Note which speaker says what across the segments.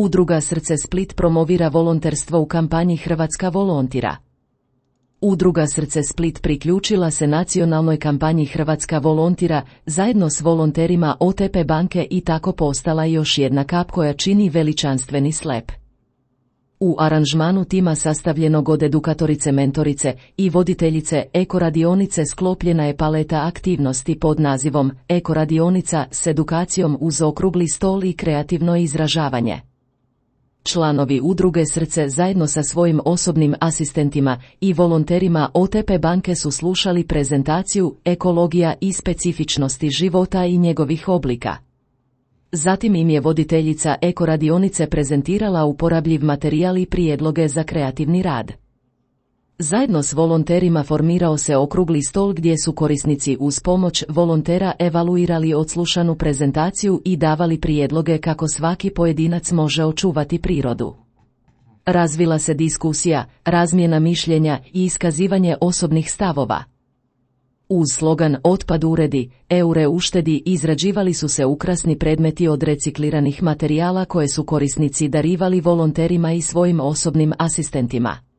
Speaker 1: Udruga Srce Split promovira volonterstvo u kampanji Hrvatska volontira. Udruga Srce Split priključila se nacionalnoj kampanji Hrvatska volontira zajedno s volonterima OTP banke i tako postala još jedna kap koja čini veličanstveni slep. U aranžmanu tima sastavljenog od edukatorice, mentorice i voditeljice ekoradionice sklopljena je paleta aktivnosti pod nazivom Ekoradionica s edukacijom uz okrugli stol i kreativno izražavanje. Članovi udruge Srce zajedno sa svojim osobnim asistentima i volonterima OTP banke su slušali prezentaciju ekologija i specifičnosti života i njegovih oblika. Zatim im je voditeljica ekoradionice prezentirala uporabljiv materijal i prijedloge za kreativni rad. Zajedno s volonterima formirao se okrugli stol gdje su korisnici uz pomoć volontera evaluirali odslušanu prezentaciju i davali prijedloge kako svaki pojedinac može očuvati prirodu. Razvila se diskusija, razmjena mišljenja i iskazivanje osobnih stavova. Uz slogan Otpad uredi, eure uštedi izrađivali su se ukrasni predmeti od recikliranih materijala koje su korisnici darivali volonterima i svojim osobnim asistentima.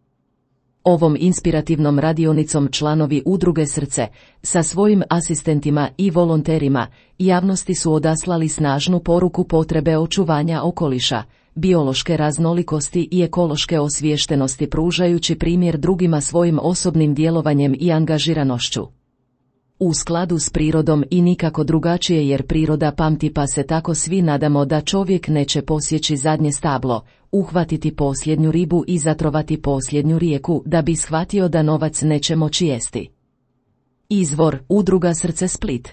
Speaker 1: Ovom inspirativnom radionicom članovi udruge Srce, sa svojim asistentima i volonterima, javnosti su odaslali snažnu poruku potrebe očuvanja okoliša, biološke raznolikosti i ekološke osviještenosti pružajući primjer drugima svojim osobnim djelovanjem i angažiranošću. U skladu s prirodom i nikako drugačije jer priroda pamti pa se tako svi nadamo da čovjek neće posjeći zadnje stablo, uhvatiti posljednju ribu i zatrovati posljednju rijeku da bi shvatio da novac neće moći jesti. Izvor Udruga Srce Split.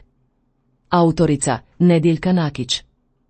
Speaker 1: Autorica Nediljka Nakić.